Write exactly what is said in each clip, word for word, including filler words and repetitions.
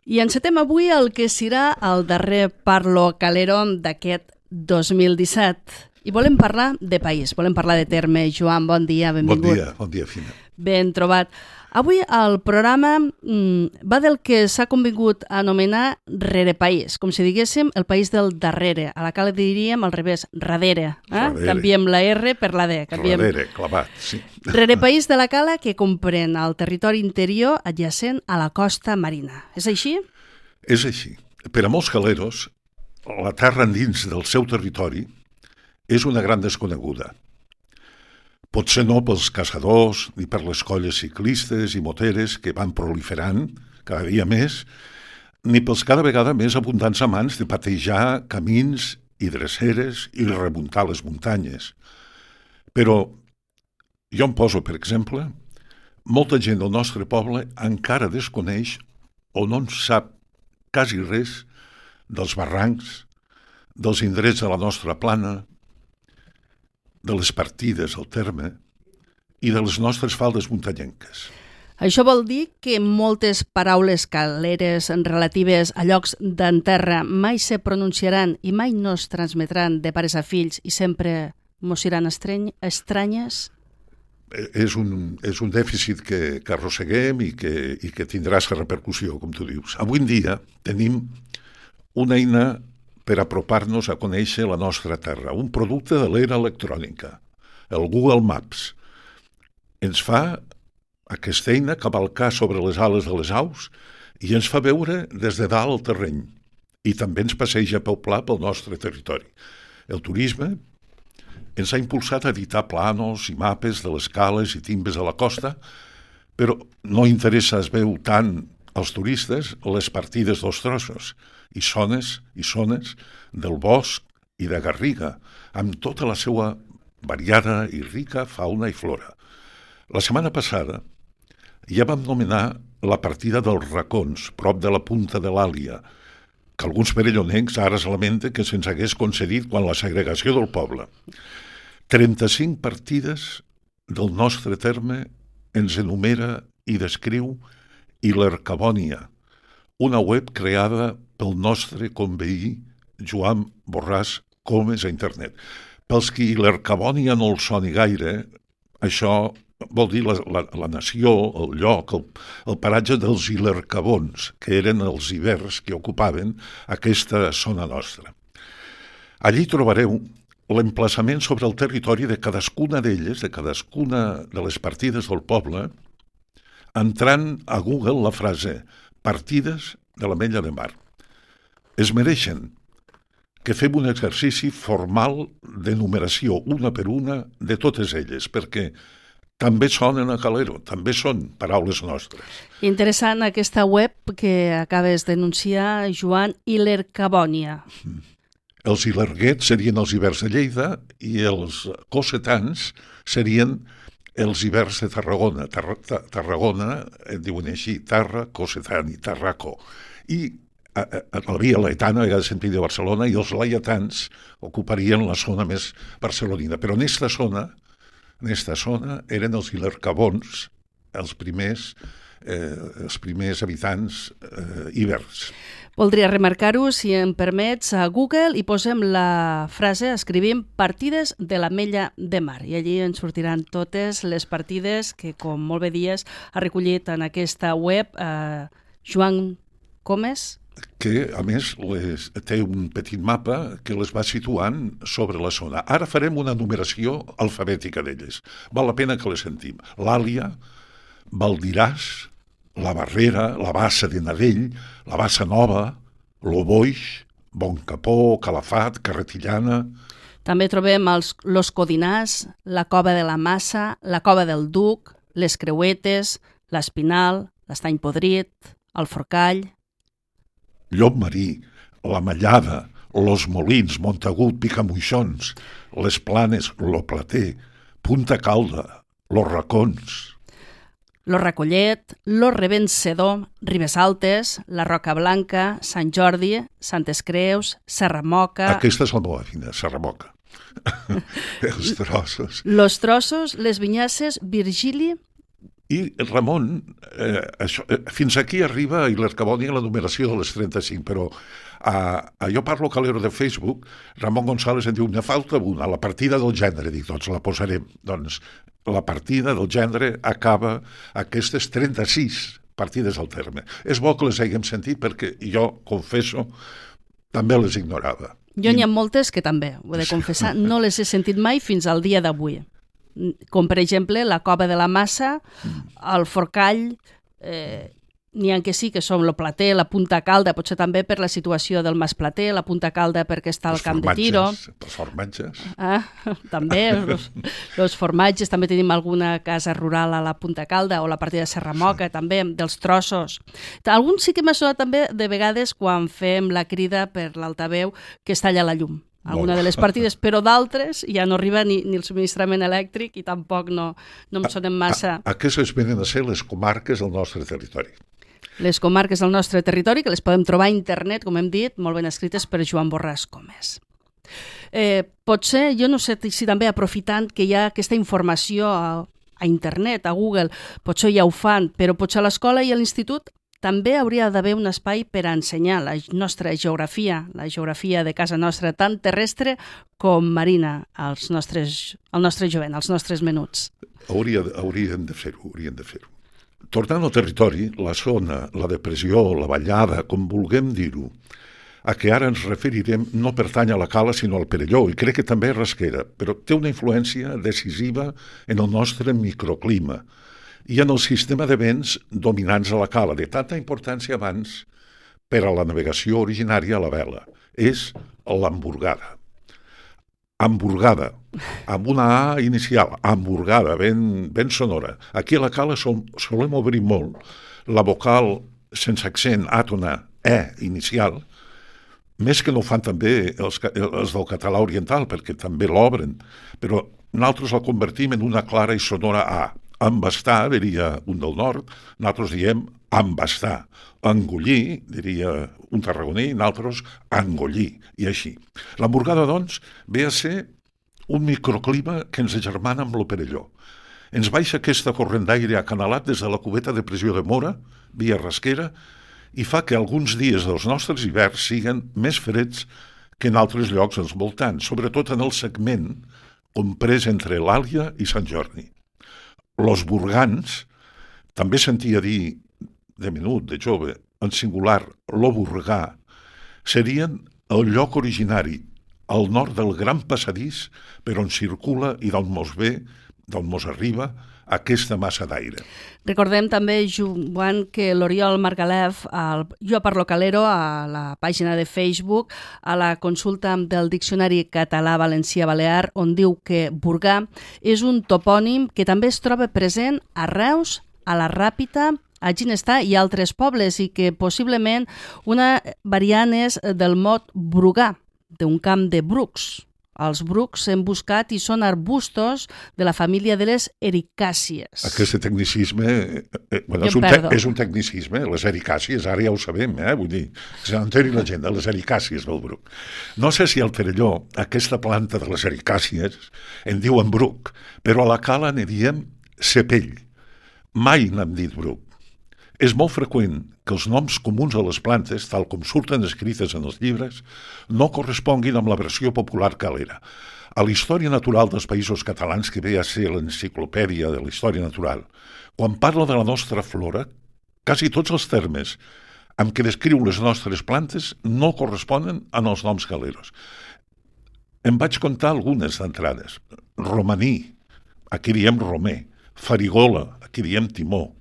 I encetem avui el que serà el darrer Parlo Calero d'aquest dos mil disset. I volem parlar de país, volem parlar de terme. Joan, bon dia, benvingut. Bon dia, bon dia, Fina. Ben trobat. Avui el programa mm, va del que s'ha convingut a anomenar rerepaís, com si diguéssim el país del darrere. A la cala diríem al revés, radere. Eh? Radere. Canviem la R per la D. Canviem... Radere, clavat, sí. Rerepaís de la cala que comprèn el territori interior adjacent a la costa marina. És així? És així. Per a molts caleros, la terra endins del seu territori és una gran desconeguda. Potser no pels caçadors ni per les colles ciclistes i moteres que van proliferant cada dia més, ni pels cada vegada més abundants amants de patejar camins i dreceres i remuntar les muntanyes. Però jo em poso, per exemple, molta gent del nostre poble encara desconeix o no en sap quasi res dels barrancs, dels indrets de la nostra plana, de les partides al terme i de les nostres faldes muntanyenques. Això vol dir que moltes paraules caleres relatives a llocs d'en terra mai se pronunciaran i mai no es transmetran de pares a fills i sempre mos seran estrany, estranyes? És un, és un dèficit que, que arrosseguem i que, i que tindrà aquesta repercussió, com tu dius. Avui en dia tenim una eina per apropar-nos a conèixer la nostra terra, un producte de l'era electrònica, el Google Maps. Ens fa aquesta eina cavalcar sobre les ales de les aus i ens fa veure des de dalt el terreny i també ens passeja pel pla pel nostre territori. El turisme ens ha impulsat a editar planos i mapes de les cales i timbes de la costa, però no interessa, es veu tant als turistes, les partides dels trossos i zones i zones del bosc i de garriga, amb tota la seva variada i rica fauna i flora. La setmana passada ja vam nomenar la partida dels racons, prop de la punta de l'Àlia, que alguns perellonencs ara es lamenten que se'ns hagués concedit quan la segregació del poble. trenta-cinc partides del nostre terme ens enumera i descriu Ilercabònia, una web creada pel nostre conveí Joan Borràs Comes a internet. Pels qui Ilercabònia no el soni gaire, això vol dir la, la, la nació, el lloc, el, el paratge dels Ilercabons, que eren els ibers que ocupaven aquesta zona nostra. Allí trobareu l'emplaçament sobre el territori de cadascuna d'elles, de cadascuna de les partides del poble, entrant a Google la frase «partides de l'Ametlla de Mar». Es mereixen que fem un exercici formal de numeració, una per una, de totes elles, perquè també sonen a calero, també són paraules nostres. Interessant aquesta web que acabes d'anunciar, Joan, Ilercabònia. Els ilerguets serien els ibers de Lleida i els cossetans serien els ibers de Tarragona. Tar Tar Tarragona, en diuen així, Tarra, Cossetan i Tarraco. I a, a, la via laetana, a vegades sentit de Barcelona, i els laietans ocuparien la zona més barcelonina. Però en aquesta zona, en aquesta zona eren els ilercabons, els primers, eh, els primers habitants eh, ibers. Voldria remarcar-ho, si em permets, a Google i posem la frase, escrivim partides de l'Ametlla de Mar i allí ens sortiran totes les partides que, com molt bé dies, ha recollit en aquesta web eh, Joan Comes. Que, a més, les, té un petit mapa que les va situant sobre la zona. Ara farem una numeració alfabètica d'elles. Val la pena que les sentim. L'Àlia, Valdiràs, la Barrera, la Bassa de Nadell, la Bassa Nova, l'Oboix, Boncapó, Calafat, Carretillana... També trobem els, los Codinars, la Cova de la Massa, la Cova del Duc, les Creuetes, l'Espinal, l'Estany Podrit, el Forcall... Llopmarí, la Mallada, los Molins, Montagut, Picamoixons, les Planes, lo Plater, Punta Calda, los Racons... Lo Recollet, Lo Revencedor, Ribes Altes, la Roca Blanca, Sant Jordi, Santes Creus, Serramoca... Aquesta és la meva fina, Serramoca. Els trossos. Los Trossos, les Vinyasses, Virgili, I Ramon, eh, això, eh, fins aquí arriba i l'Arcaboni a la numeració de les trenta-cinc, però a, a Jo Parlo Calero de Facebook, Ramon González em diu, ne falta una, la partida del gènere. Dic, doncs la posarem. Doncs la partida del gènere acaba aquestes trenta-sis partides al terme. És bo que les haguem sentit perquè jo, confesso, també les ignorava. Jo n'hi ha moltes que també, ho he de confessar, no les he sentit mai fins al dia d'avui. Com, per exemple, la Cova de la Massa, el Forcall, eh, n'hi ha que sí, que són el Plater, la Punta Calda, potser també per la situació del Mas Plater, la Punta Calda perquè està al camp de tiro. Els formatges. Ah, també, els, els formatges, també tenim alguna casa rural a la Punta Calda o la partida de Serramoca, sí. També, dels trossos. Alguns sí que m'ha sonat també de vegades quan fem la crida per l'altaveu que es talla la llum. Alguna de les partides, però d'altres ja no arriba ni, ni el subministrament elèctric i tampoc no, no em sonen massa. A, a, aquestes venen a ser les comarques del nostre territori. Les comarques del nostre territori, que les podem trobar a internet, com hem dit, molt ben escrites per Joan Borràs Comes. Eh, potser, jo no sé si també aprofitant que hi ha aquesta informació a, a internet, a Google, potser ja ho fan, però potser a l'escola i a l'institut també hauria d'haver un espai per a ensenyar la nostra geografia, la geografia de casa nostra, tant terrestre com marina, als nostres, al nostre jovent, als nostres menuts. Hauria, haurien de fer-ho, haurien de fer-ho. Tornant al territori, la zona, la depressió, la ballada, com vulguem dir-ho, a què ara ens referirem no pertany a la Cala sinó al Perelló, i crec que també a Rasquera, però té una influència decisiva en el nostre microclima i en el sistema de vents dominants a la Cala, de tanta importància abans per a la navegació originària a la vela. És l'hamburgada. Hamburgada, amb una A inicial, hamburgada, ben, ben sonora. Aquí a la Cala sol, solem obrir molt la vocal sense accent àtona, E inicial, més que no ho fan també els, els del català oriental, perquè també l'obren, però nosaltres la convertim en una clara i sonora A. Embastar, diria un del nord, nosaltres diem embastar. Engollir, diria un tarragoní, nosaltres engollir, i així. L'hamburgada, doncs, ve a ser un microclima que ens agermana amb lo Perelló. Ens baixa aquesta corrent d'aire acanalat des de la cubeta de pressió de Mora, via Rasquera, i fa que alguns dies dels nostres hiverns siguin més freds que en altres llocs als voltants, sobretot en el segment comprès entre l'Àlia i Sant Jordi. Los burgans, també sentia dir de menut, de jove, en singular, lo burgà, serien el lloc originari al nord del gran passadís per on circula i d'on mos ve, d'on mos arriba, aquesta massa d'aire. Recordem també, Joan, que l'Oriol Margalef, al Jo Parlo Calero, a la pàgina de Facebook, a la consulta del Diccionari Català-Valencià-Balear, on diu que Burgà és un topònim que també es troba present a Reus, a la Ràpita, a Ginestar i altres pobles, i que possiblement una variant és del mot brugà, d'un camp de brucs. Els brucs hem buscat i són arbustos de la família de les ericàcies. Aquest tecnicisme eh, bueno, és, un te és un tecnicisme, les ericàcies, ara ja ho sabem, eh? Vull dir, se n'enteri la gent, les ericàcies del bruc. No sé si al Perelló, aquesta planta de les ericàcies, en diuen bruc, però a la Cala ne diem cepell. Mai n'hem dit bruc. És molt freqüent que els noms comuns a les plantes, tal com surten escrites en els llibres, no corresponguin amb la versió popular calera. A la història natural dels països catalans, que ve a ser l'enciclopèdia de la història natural, quan parla de la nostra flora, quasi tots els termes amb què descriu les nostres plantes no corresponen en els noms caleros. Em vaig contar algunes d'entrades. Romaní, aquí diem romer. Farigola, aquí diem timó.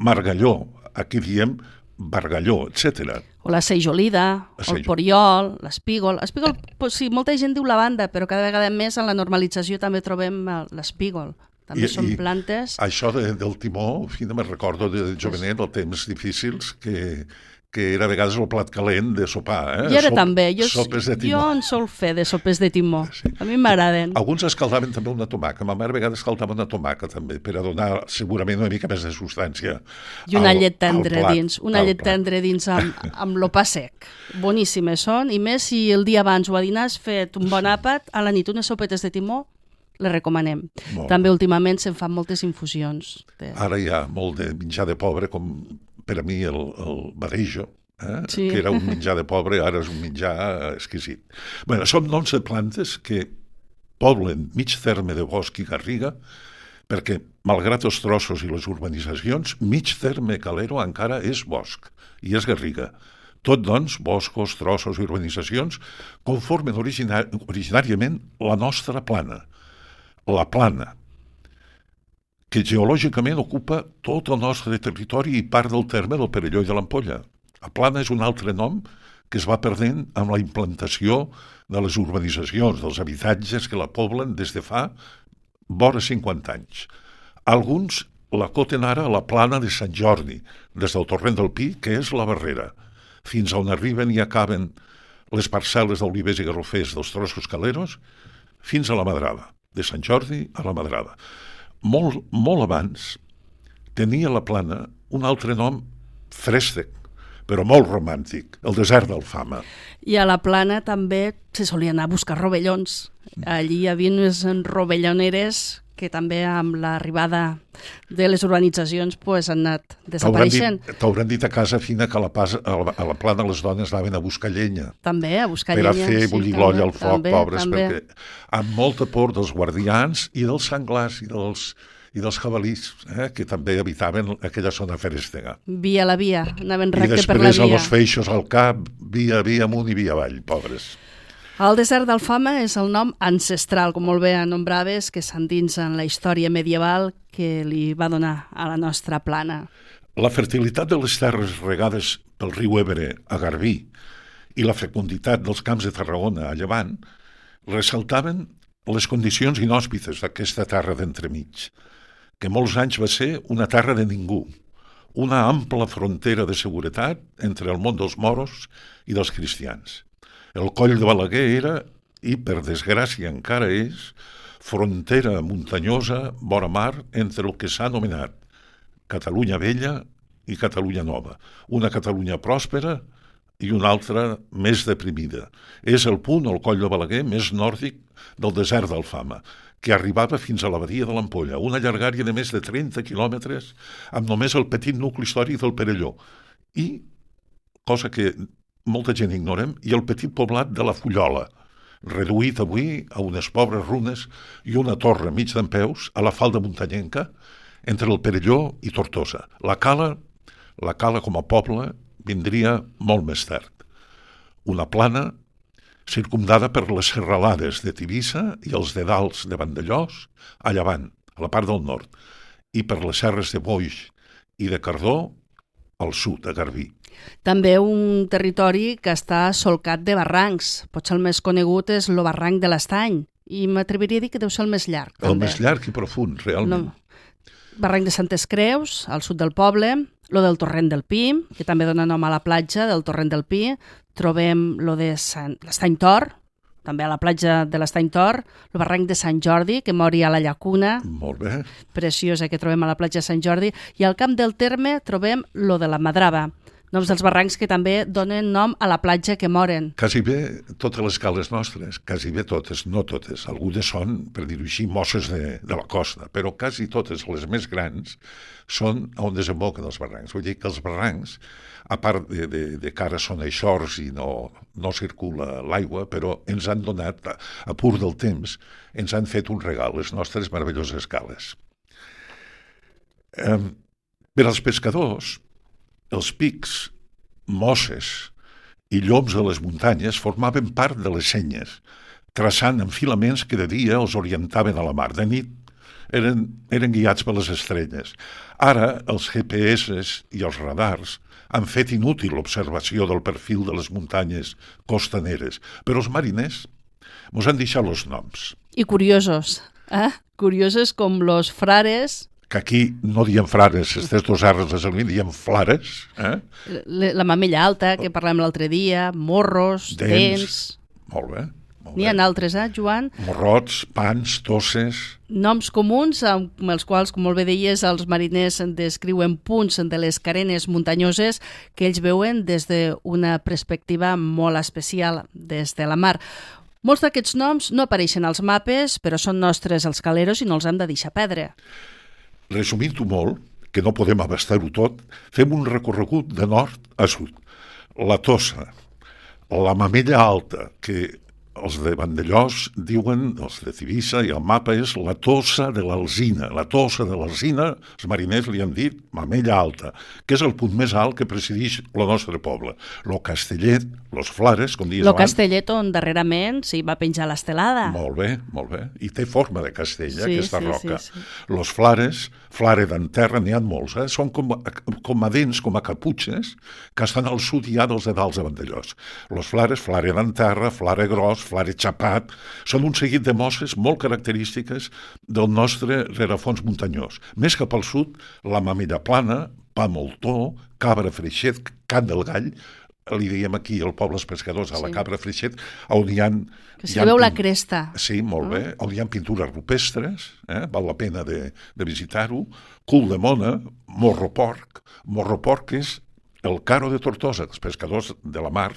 Margalló, aquí diem bargalló, etcètera. O la seixolida, o el poriol, l'espígol. L'espígol, pues, sí, molta gent diu lavanda, però cada vegada més en la normalització també trobem l'espígol. També I, són i plantes... Això de, del timó, fi, me'n recordo de jovenet, els temps difícils, que, que era a vegades el plat calent de sopar. Eh? I ara Sop, també. Jo, sopes de timó. Jo en sol fer de sopes de timó. Sí. A mi m'agraden. Alguns escaldaven també una tomaca. Ma mare a vegades escaldava una tomaca també, per a donar segurament una mica més de substància. I una al, llet tendre dins. Una llet plat. tendre dins amb, amb lo pa sec. Boníssimes són. I més si el dia abans o a dinar has fet un bon àpat, a la nit unes sopetes de timó, les recomanem. Molt. També últimament se'n fan moltes infusions. De... Ara hi ha molt de menjar de pobre, com per a mi el, el badejo, eh? Sí. Que era un menjar de pobre, ara és un menjar exquisit. Bueno, són noms de plantes que poblen mig terme de bosc i garriga, perquè, malgrat els trossos i les urbanitzacions, mig terme calero encara és bosc i és garriga. Tot, doncs, boscos, trossos i urbanitzacions conformen originar originàriament la nostra plana. La plana, que geològicament ocupa tot el nostre territori i part del terme del Perelló i de l'Ampolla. La plana és un altre nom que es va perdent amb la implantació de les urbanitzacions, dels habitatges que la poblen des de fa vora cinquanta anys. Alguns l'acoten ara a la plana de Sant Jordi, des del torrent del Pi, que és la Barrera, fins on arriben i acaben les parcel·les d'olivers i garrofers dels trossos caleros, fins a la Madrada, de Sant Jordi a la Madrada. Molt, molt abans tenia la plana un altre nom frèstec, però molt romàntic, el desert d'Alfama. I a la plana també se solia anar a buscar rovellons. Allí hi havia unes rovelloneres que també amb l'arribada de les urbanitzacions pues, han anat desapareixent. T'hauran dit, dit a casa fina que a la, pas, a, la, a la plana les dones anaven a buscar llenya. També, a buscar per llenya. Per a fer sí, bullir l'olla al foc, també, pobres, també. perquè amb molta por dels guardians i dels senglars i dels, i dels jabalís, eh, que també habitaven aquella zona ferèstega. Via la via, anaven recte per la I després via. amb els feixos al cap, via, via amunt i via avall, pobres. El desert d'Alfama és el nom ancestral, com molt bé anombraves, que s'endinsa en la història medieval que li va donar a la nostra plana. La fertilitat de les terres regades pel riu Ebre a Garbí i la fecunditat dels camps de Tarragona a Llevant ressaltaven les condicions inhòspites d'aquesta terra d'entremig, que molts anys va ser una terra de ningú, una ampla frontera de seguretat entre el món dels moros i dels cristians. El coll de Balaguer era, i per desgràcia encara és, frontera muntanyosa, vora mar, entre el que s'ha anomenat Catalunya Vella i Catalunya Nova. Una Catalunya pròspera i una altra més deprimida. És el punt, el coll de Balaguer, més nòrdic del desert d'Alfama, que arribava fins a la badia de l'Ampolla, una llargària de més de trenta quilòmetres, amb només el petit nucli històric del Perelló. I, cosa que molta gent ignorem, i el petit poblat de la Fullola, reduït avui a unes pobres runes i una torre mig dempeus a la falda muntanyenca entre el Perelló i Tortosa. La Cala, la Cala com a poble, vindria molt més tard. Una plana circumdada per les serralades de Tivissa i els dedals de Vandellós a llevant, a la part del nord, i per les serres de Boix i de Cardó al sud, a Garbí. També un territori que està solcat de barrancs. Potser el més conegut és el barranc de l'Estany, i m'atreviria a dir que deu ser el més llarg. El també. Més llarg i profund, realment. No. Barranc de Santes Creus, al sud del poble, lo del Torrent del Pi, que també dona nom a la platja del Torrent del Pi. Trobem lo de Sant... l'Estany Tor, també a la platja de l'Estany Tor, el barranc de Sant Jordi, que mori a la llacuna, molt bé, preciosa, que trobem a la platja de Sant Jordi, i al camp del terme trobem lo de la Madrava, noms dels barrancs que també donen nom a la platja que moren. Quasi bé totes les cales nostres, quasi bé totes, no totes, algunes són, per dir-ho així, mosses de, de la costa, però quasi totes les més grans són on desemboquen els barrancs. Vull dir que els barrancs, a part de, de, de que ara són eixors i no, no circula l'aigua, però ens han donat, a, a pur del temps, ens han fet un regal, les nostres meravelloses cales. Eh, per als pescadors, els pics, mosses i lloms de les muntanyes formaven part de les senyes, traçant enfilaments que de dia els orientaven a la mar. De nit eren, eren guiats per les estrelles. Ara els G P S i els radars han fet inútil l'observació del perfil de les muntanyes costaneres, però els mariners mos han deixat els noms. I curiosos, eh? Curiosos com los frares... que aquí no diem frares, aquestes dos arres les alumini, diem flares. Eh? La, la mamella alta, que parlem l'altre dia, morros, dents... dents. Molt bé. N'hi ha altres, eh, Joan? Morrots, pans, tosses... Noms comuns amb els quals, com molt bé deies, els mariners descriuen punts de les carenes muntanyoses que ells veuen des d'una perspectiva molt especial, des de la mar. Molts d'aquests noms no apareixen als mapes, però són nostres els caleros i no els hem de deixar perdre. Resumint-ho molt, que no podem abastar-ho tot, fem un recorregut de nord a sud. La Tossa, la Mamella Alta, que els de Vandellòs diuen, els de Tivissa, i el mapa és la Tossa de l'Alzina. La Tossa de l'Alzina, els mariners li han dit Mamella Alta, que és el punt més alt que presideix el nostre poble. Lo Castellet, los Flares, com dius Lo abans. Castellet on darrerament s'hi va penjar l'estelada. Molt bé, molt bé. I té forma de castell, eh, Sí, aquesta sí, roca. sí, sí. Los Flares, Flare d'Enterra, n'hi ha molts, eh? Són com, com a dents, com a caputxes, que estan al sud i hi ha dels de dalt de Vandellòs. Los Flares, Flare d'Enterra, Flare Gros, Flare Chapat, són un seguit de mosses molt característiques del nostre rerefons muntanyós. Més cap al sud, la Mamella Plana, Pa Moltó, Cabra Freixet, Can del Gall, li diem aquí al poble els pescadors, a la Sí. Cabra Freixet, on hi ha... Que s'hi veu la cresta. Sí, molt bé. On hi ha pintures rupestres, eh? Val la pena de, de visitar-ho. Cul de Mona, Morro Porc. Morro Porc és el caro de Tortosa, els pescadors de la mar.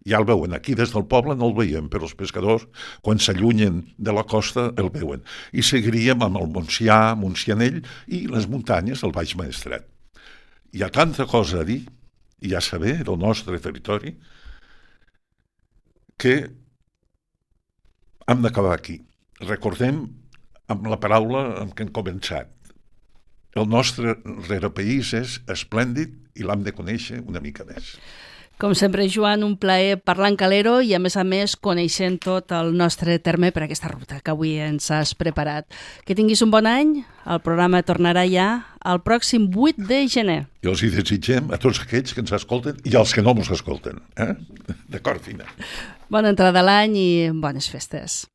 Ja el veuen. Aquí des del poble no el veiem, però els pescadors, quan s'allunyen de la costa, el veuen. I seguiríem amb el Montsià, Montsianell i les muntanyes del Baix Maestrat. Hi ha tanta cosa a dir i a saber del nostre territori que hem d'acabar aquí. Recordem amb la paraula amb què hem començat. El nostre rerepaís és esplèndid i l'hem de conèixer una mica més. Com sempre, Joan, un plaer parlar en calero i, a més a més, coneixent tot el nostre terme per aquesta ruta que avui ens has preparat. Que tinguis un bon any. El programa tornarà ja el pròxim vuit de gener. I els hi desitgem a tots aquells que ens escolten i als que no ens escolten. Eh? D'acord, Fina? Bona entrada a l'any i bones festes.